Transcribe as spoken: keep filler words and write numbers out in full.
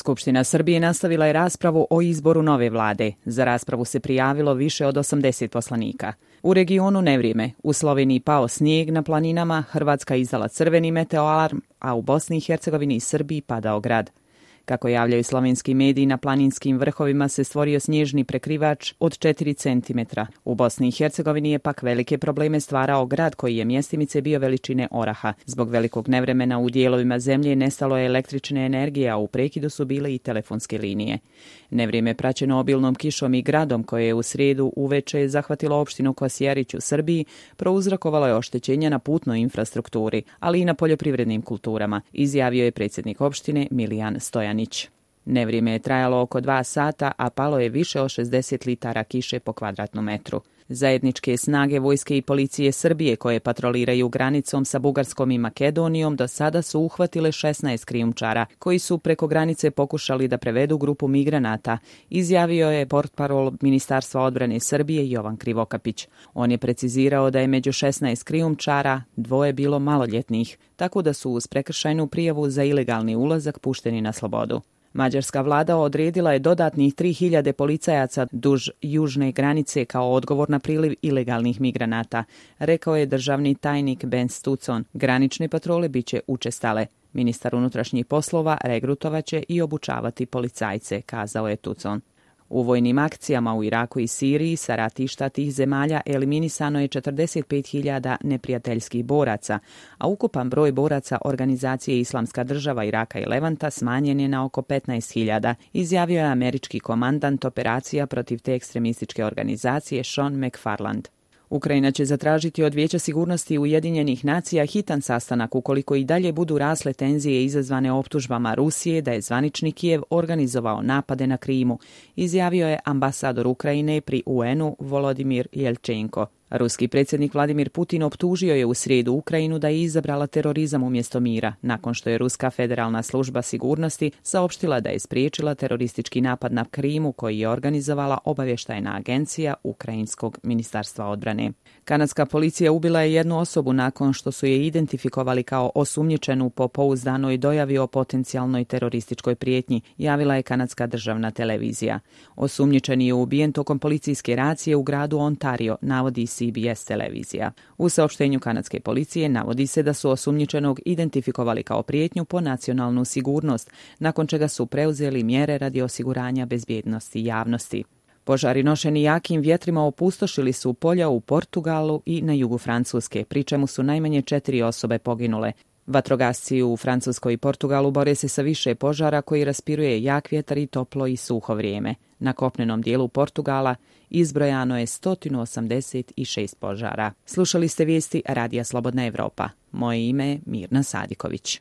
Skupština Srbije nastavila je raspravu o izboru nove vlade. Za raspravu se prijavilo više od osamdeset poslanika. U regionu nevrijeme, u Sloveniji pao snijeg na planinama, Hrvatska izdala crveni meteoalarm, a u Bosni i Hercegovini i Srbiji padao grad. Kako javljaju slovenski mediji, na planinskim vrhovima se stvorio snježni prekrivač od četiri centimetra. U Bosni i Hercegovini je pak velike probleme stvarao grad koji je mjestimice bio veličine oraha. Zbog velikog nevremena u dijelovima zemlje nestalo je električne energije, a u prekidu su bile i telefonske linije. Nevrijeme praćeno obilnom kišom i gradom koje je u srijedu uveče zahvatilo opštinu Kosjerić u Srbiji, prouzrokovalo je oštećenja na putnoj infrastrukturi, ali i na poljoprivrednim kulturama, izjavio je predsjednik opštine Milijan Stojanić. Nevrijeme je trajalo oko dva sata, a palo je više od šezdeset litara kiše po kvadratnom metru. Zajedničke snage vojske i policije Srbije koje patroliraju granicom sa Bugarskom i Makedonijom do sada su uhvatile šesnaest krijumčara koji su preko granice pokušali da prevedu grupu migranata, izjavio je portparol Ministarstva odbrane Srbije Jovan Krivokapić. On je precizirao da je među šesnaest krijumčara dvoje bilo maloljetnih, tako da su uz prekršajnu prijavu za ilegalni ulazak pušteni na slobodu. Mađarska vlada odredila je dodatnih tri hiljade policajaca duž južne granice kao odgovor na priliv ilegalnih migranata, rekao je državni tajnik Ben Stucon. Granične patrole biće učestale. Ministar unutrašnjih poslova regrutovaće i obučavati policajce, kazao je Tucon. U vojnim akcijama u Iraku i Siriji sa ratišta tih zemalja eliminisano je četrdeset pet hiljada neprijateljskih boraca, a ukupan broj boraca organizacije Islamska država Iraka i Levanta smanjen je na oko petnaest hiljada, izjavio je američki komandant operacija protiv te ekstremističke organizacije Sean McFarland. Ukrajina će zatražiti od Vijeća sigurnosti Ujedinjenih nacija hitan sastanak ukoliko i dalje budu rasle tenzije izazvane optužbama Rusije da je zvanični Kijev organizovao napade na Krimu, izjavio je ambasador Ukrajine pri U N-u Volodimir Jelčenko. Ruski predsjednik Vladimir Putin optužio je u srijedu Ukrajinu da je izabrala terorizam umjesto mira, nakon što je Ruska federalna služba sigurnosti saopštila da je spriječila teroristički napad na Krimu koji je organizovala obavještajna agencija Ukrajinskog ministarstva odbrane. Kanadska policija ubila je jednu osobu nakon što su je identifikovali kao osumnjičenu po pouzdanoj dojavi o potencijalnoj terorističkoj prijetnji, javila je kanadska državna televizija. Osumnjičeni je ubijen tokom policijske racije u gradu Ontario, navodi C B S televizija. U saopštenju kanadske policije navodi se da su osumnjičenog identifikovali kao prijetnju po nacionalnu sigurnost, nakon čega su preuzeli mjere radi osiguranja bezbjednosti javnosti. Požari nošeni jakim vjetrima opustošili su polja u Portugalu i na jugu Francuske, pri čemu su najmanje četiri osobe poginule. Vatrogasci u Francuskoj i Portugalu bore se sa više požara koji raspiruje jak vjetar i toplo i suho vrijeme. Na kopnenom dijelu Portugala izbrojano je sto osamdeset šest požara. Slušali ste vijesti Radija Slobodna Evropa. Moje ime je Mirna Sadiković.